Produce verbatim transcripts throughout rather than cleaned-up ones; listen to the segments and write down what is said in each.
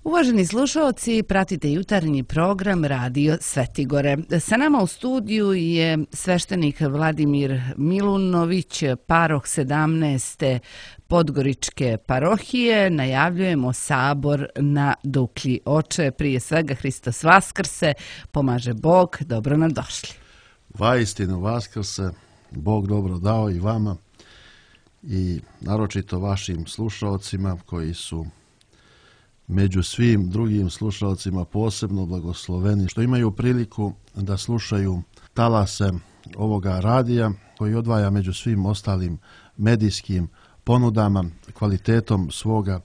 Uvaženi slušalci, pratite jutarnji program Radio Svetigore. Sa nama u studiju je sveštenik Vladimir Milunović, paroh sedamnaeste Podgoričke parohije. Najavljujemo sabor na Duklji. Oče, prije svega Hristos Vaskrse, pomaže Bog, dobro nam došli. Vaistinu Vaskrse, Bog dobro dao i vama i naročito vašim slušalcima koji su među svim drugim slušalcima posebno blagosloveni što imaju priliku da slušaju talase ovoga radija koji odvaja među svim ostalim medijskim ponudama, kvalitetom svoga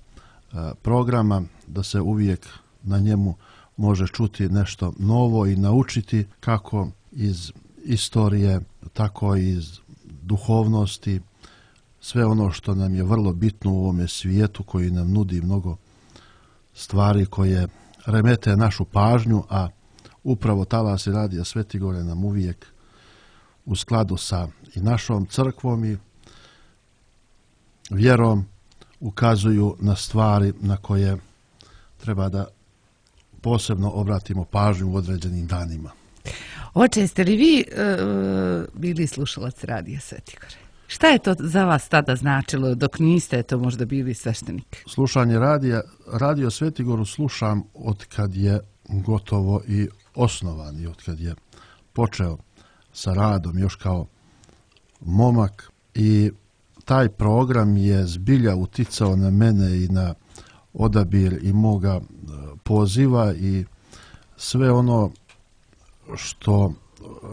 programa, da se uvijek na njemu može čuti nešto novo i naučiti kako iz istorije, tako i iz duhovnosti, sve ono što nam je vrlo bitno u ovome svijetu koji nam nudi mnogo stvari koje remete našu pažnju, a upravo talasi Radija Svetigore nam uvijek u skladu sa i našom crkvom i vjerom ukazuju na stvari na koje treba da posebno obratimo pažnju u određenim danima. Oče, jeste li vi uh, bili slušalac Radija Svetigore? Šta je to za vas tada značilo dok niste to možda bili sveštenik? Slušanje radija, Radio Svetigoru slušam od kad je gotovo i osnovan i od kad je počeo sa radom još kao momak i taj program je zbilja uticao na mene i na odabir i moga poziva i sve ono što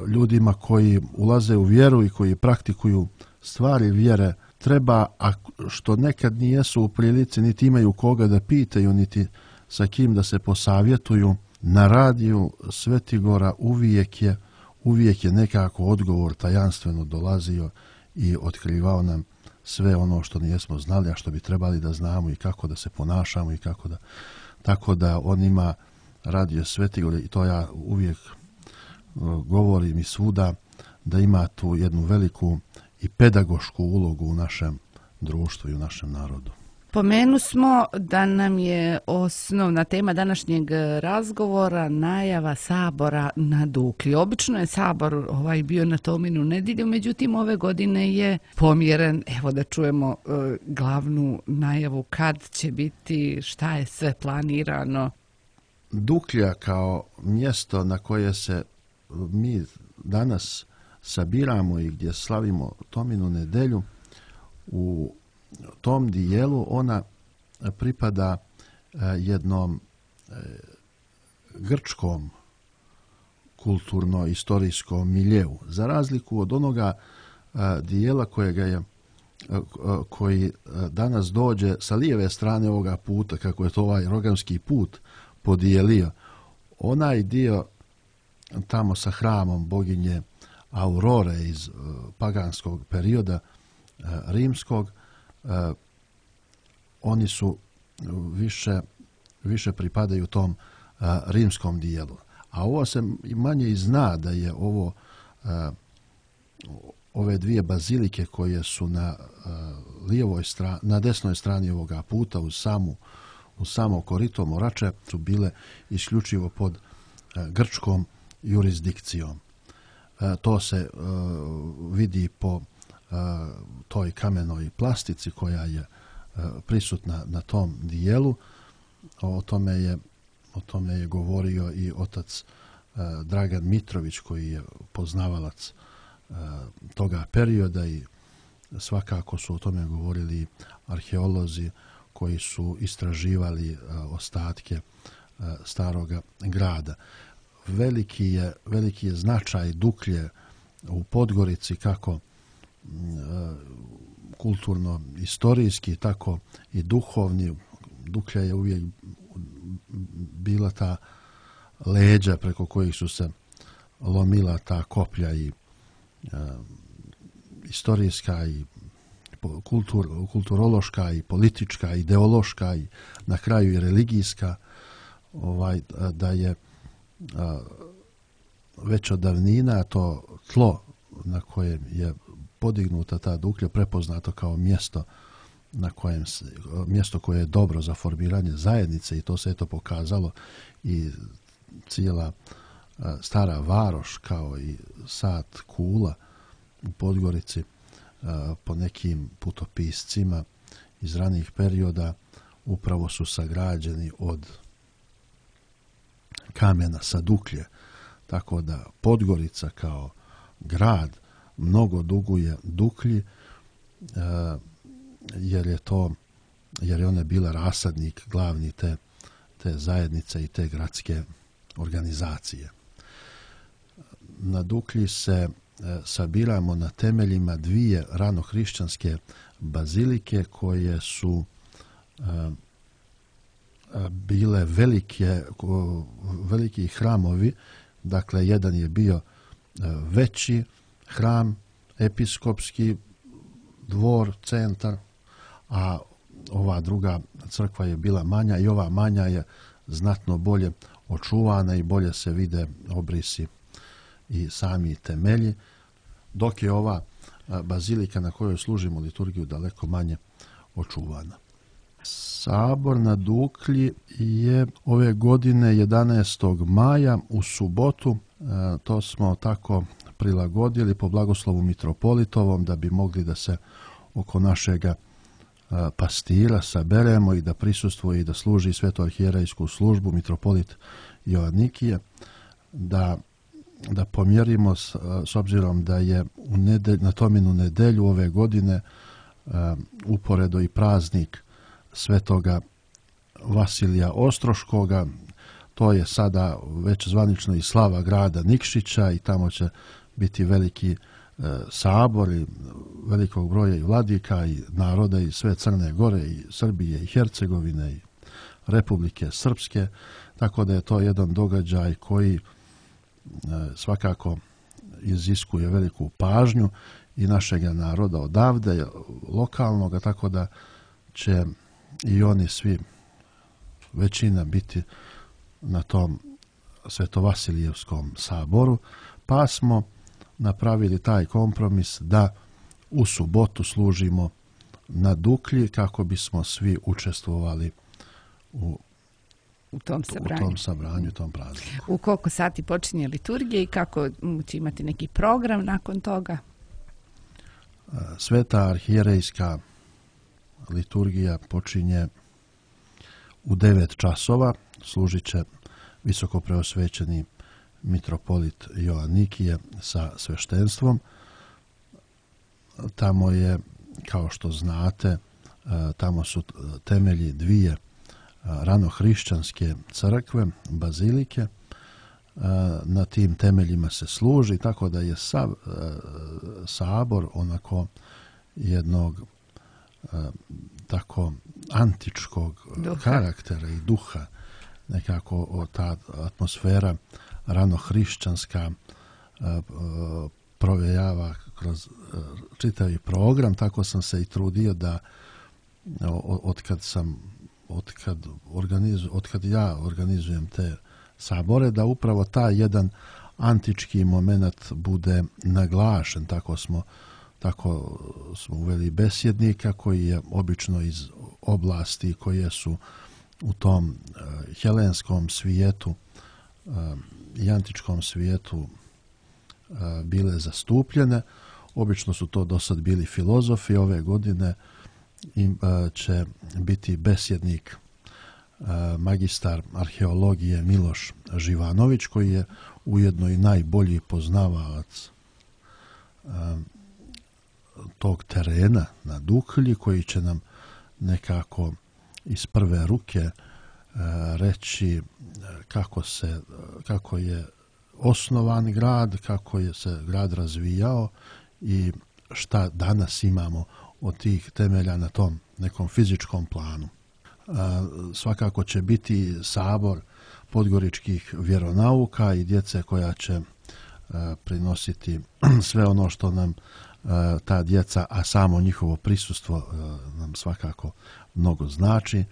ljudima koji ulaze u vjeru i koji praktikuju stvari vjere treba, a što nekad nijesu u prilici, niti imaju koga da pitaju, niti sa kim da se posavjetuju, na Radiju Svetigora uvijek je, uvijek je nekako odgovor tajanstveno dolazio i otkrivao nam sve ono što nijesmo znali, a što bi trebali da znamo i kako da se ponašamo i kako da, tako da on ima Radio Svetigor i to ja uvijek govorim i svuda, da ima tu jednu veliku i pedagošku ulogu u našem društvu i u našem narodu. Pomenu smo da nam je osnovna tema današnjeg razgovora najava sabora na Duklji. Obično je sabor ovaj bio na Tominu nedjelju, međutim ove godine je pomjeren. Evo da čujemo e, glavnu najavu kad će biti, šta je sve planirano. Duklja kao mjesto na koje se mi danas sabiramo i gdje slavimo Tominu nedelju, u tom dijelu ona pripada jednom grčkom kulturno-istorijskom miljeu. Za razliku od onoga dijela kojega je, koji danas dođe sa lijeve strane ovoga puta, kako je to ovaj rogamski put podijelio, onaj dio tamo sa hramom boginje Aurore iz uh, paganskog perioda uh, rimskog, uh, oni su više, više pripadaju tom uh, rimskom dijelu. A ovo se manje i zna da je ovo uh, ove dvije bazilike koje su na uh, lijevoj strani, na desnoj strani ovoga puta uz samu uz samo korito Morače su bile isključivo pod uh, grčkom jurisdikcijom. To se uh, vidi po uh, toj kamenoj plastici koja je uh, prisutna na tom dijelu. O tome je, o tome je govorio i otac uh, Dragan Mitrović koji je poznavalac uh, toga perioda i svakako su o tome govorili arheolozi koji su istraživali uh, ostatke uh, staroga grada. Veliki je, veliki je značaj Duklje u Podgorici kako e, kulturno-istorijski, tako i duhovni. Duklja je uvijek bila ta leđa preko kojih su se lomila ta koplja i e, istorijska i kultur, kulturološka i politička, ideološka i na kraju i religijska, ovaj, da je već od davnina to tlo na kojem je podignuta ta Duklja prepoznato kao mjesto na kojem se, mjesto koje je dobro za formiranje zajednice i to se eto pokazalo i cijela Stara Varoš kao i Sat Kula u Podgorici po nekim putopiscima iz ranijih perioda upravo su sagrađeni od kamena sa Duklje. Tako da Podgorica kao grad mnogo duguje Duklji jer je to jer je ona bila rasadnik glavni te, te zajednice i te gradske organizacije. Na Duklji se sabiramo na temeljima dvije ranohrišćanske bazilike koje su bile velike, veliki hramovi. Dakle, jedan je bio veći hram, episkopski dvor, centar, a ova druga crkva je bila manja i ova manja je znatno bolje očuvana i bolje se vide obrisi i sami temelji, dok je ova bazilika na kojoj služimo liturgiju daleko manje očuvana. Sabor na Duklji je ove godine jedanaestog maja u subotu, to smo tako prilagodili po blagoslovu mitropolitovom da bi mogli da se oko našega pastira saberemo i da prisustvuje i da služi svetoarhijerejsku službu mitropolit Joanikije, da, da pomjerimo s, s obzirom da je u nedelj, na Tominu nedelju ove godine uporedo i praznik svetoga Vasilija Ostroškoga. To je sada već zvanično i slava grada Nikšića i tamo će biti veliki e, sabor i velikog broja i vladika i naroda i sve Crne Gore i Srbije i Hercegovine i Republike Srpske. Tako da je to jedan događaj koji e, svakako iziskuje veliku pažnju i našega naroda odavde, lokalnog, tako da će i oni svi, većina, biti na tom Svetovasilijevskom saboru, pa smo napravili taj kompromis da u subotu služimo na Duklji kako bismo svi učestvovali u, u tom sabranju, u tom sabranju, tom prazniku. U koliko sati počinje liturgija i kako će imati neki program nakon toga? Sveta arhijerejska liturgija počinje u devet časova, služit će visoko preosvećeni mitropolit Joanikije sa sveštenstvom. Tamo je, kao što znate, tamo su temelji dvije ranohrišćanske crkve, bazilike. Na tim temeljima se služi, tako da je sav, sabor onako jednog tako antičkog duha. Karaktera i duha, nekako ta atmosfera ranohrišćanska provejava kroz čitavi program. Tako sam se i trudio da otkad sam otkad, organizu, otkad ja organizujem te sabore, da upravo taj jedan antički moment bude naglašen. Tako smo Tako smo uveli besjednika koji je obično iz oblasti koje su u tom uh, helenskom svijetu uh, i antičkom svijetu uh, bile zastupljene. Obično su to do sad bili filozofi. Ove godine im, uh, će biti besjednik uh, magistar arheologije Miloš Živanović, koji je ujedno i najbolji poznavalac uh, tog terena na Duklji, koji će nam nekako iz prve ruke e, reći kako se kako je osnovan grad, kako je se grad razvijao i šta danas imamo od tih temelja na tom nekom fizičkom planu. E, svakako će biti sabor podgoričkih vjeronauka i djece koja će e, prinositi sve ono što nam ta djeca, a samo njihovo prisustvo nam svakako mnogo znači.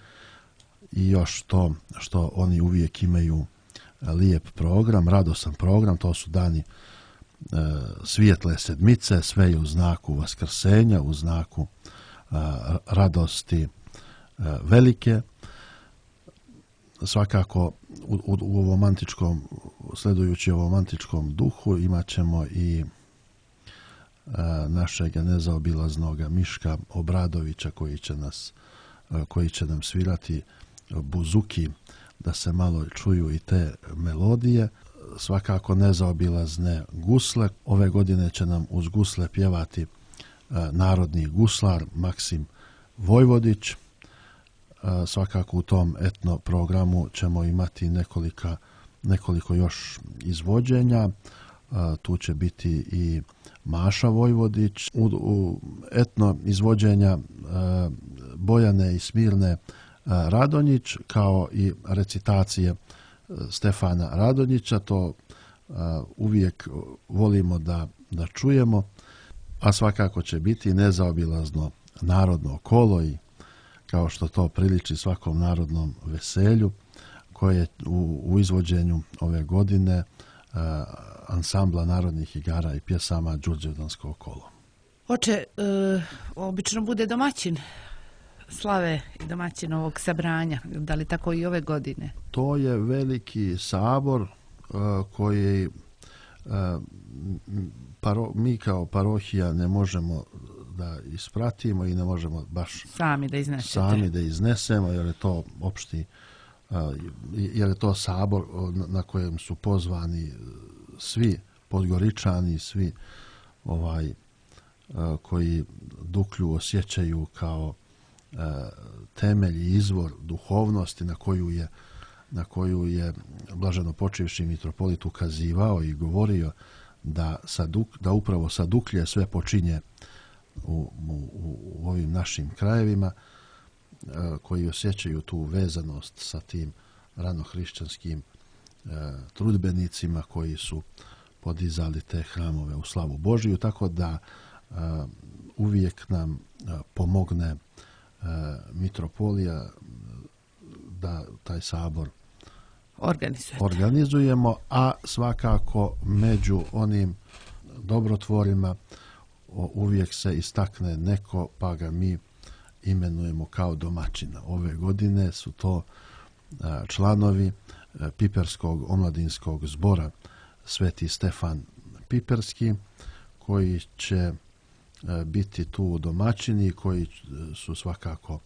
I još to što oni uvijek imaju lijep program, radosan program. To su dani svijetle sedmice, sve je u znaku vaskrsenja, u znaku radosti velike. Svakako u, u, u ovom antičkom, sledujući ovom antičkom duhu, imat ćemo i a, našeg nezaobilaznog Miška Obradovića koji će nas, a, koji će nam svirati buzuki, da se malo čuju i te melodije. Svakako nezaobilazne gusle. Ove godine će nam uz gusle pjevati a, narodni guslar Maksim Vojvodić. Svakako u tom etno programu ćemo imati nekolika, nekoliko još izvođenja. Tu će biti i Maša Vojvodić. U, u etno izvođenja Bojane i Smirne Radonjić, kao i recitacije Stefana Radonjića. To uvijek volimo da, da čujemo. A svakako će biti nezaobilazno narodno kolo i kao što to priliči svakom narodnom veselju, koje u, u izvođenju ove godine uh, ansambla narodnih igara i pjesama Đurđevdansko kolo. Oče, uh, obično bude domaćin slave i domaćin ovog sabranja, da li tako i ove godine? To je veliki sabor uh, koji uh, paro, mi kao parohija ne možemo da ispratimo i ne možemo baš sami da iznesete. Sami da iznesemo, jer je to opšti, jer je to sabor na kojem su pozvani svi Podgoričani, svi ovaj koji Duklju osjećaju kao temelj i izvor duhovnosti na koju je na koju je blaženo počivši mitropolit ukazivao i govorio da sa Duk, da upravo sa Duklje sve počinje U, u, u ovim našim krajevima, koji osjećaju tu vezanost sa tim ranohrišćanskim e, trudbenicima koji su podizali te hramove u slavu Božiju, tako da e, uvijek nam e, pomogne e, mitropolija da taj sabor Organizujete. organizujemo, a svakako među onim dobrotvorima uvijek se istakne neko, pa ga mi imenujemo kao domaćina. Ove godine su to članovi Piperskog omladinskog zbora Sveti Stefan Piperski, koji će biti tu domaćini, koji su svakako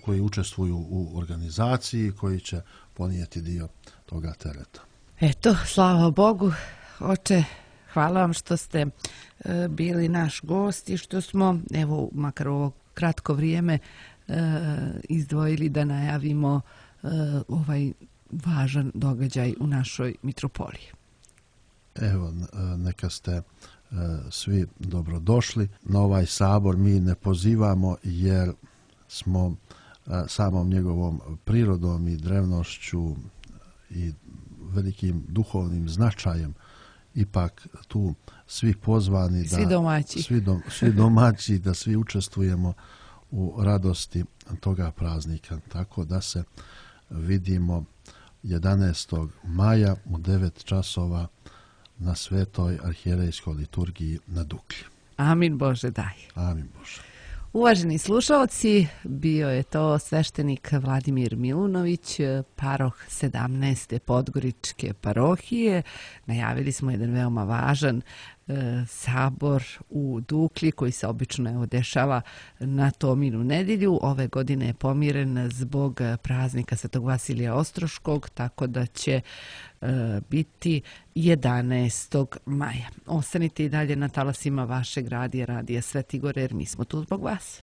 koji učestvuju u organizaciji, koji će ponijeti dio toga tereta. Eto, slava Bogu, oče, hvala vam što ste e, bili naš gost i što smo, evo, makar ovo kratko vrijeme e, izdvojili da najavimo e, ovaj važan događaj u našoj mitropoliji. Evo, neka ste e, svi dobrodošli. Na ovaj sabor mi ne pozivamo jer smo e, samom njegovom prirodom i drevnošću i velikim duhovnim značajem ipak tu svi pozvani, svi da domaći. Svi, dom, svi domaći da svi učestvujemo u radosti toga praznika. Tako da se vidimo jedanaestog maja u devet časova na Svetoj arhijerejskoj liturgiji na Duklji. Amin Bože daj. Amin Bože. Uvaženi slušalci, bio je to sveštenik Vladimir Milunović, paroh sedamnaeste Podgoričke parohije. Najavili smo jedan veoma važan e, sabor u Duklji koji se obično evo, dešava na Tominu nedjelju. Ove godine je pomiren zbog praznika Svetog Vasilija Ostroškog, tako da će e, biti jedanaestog maja. Ostanite i dalje na talasima vašeg radija, radija Svetigore, jer mi smo tu zbog vas.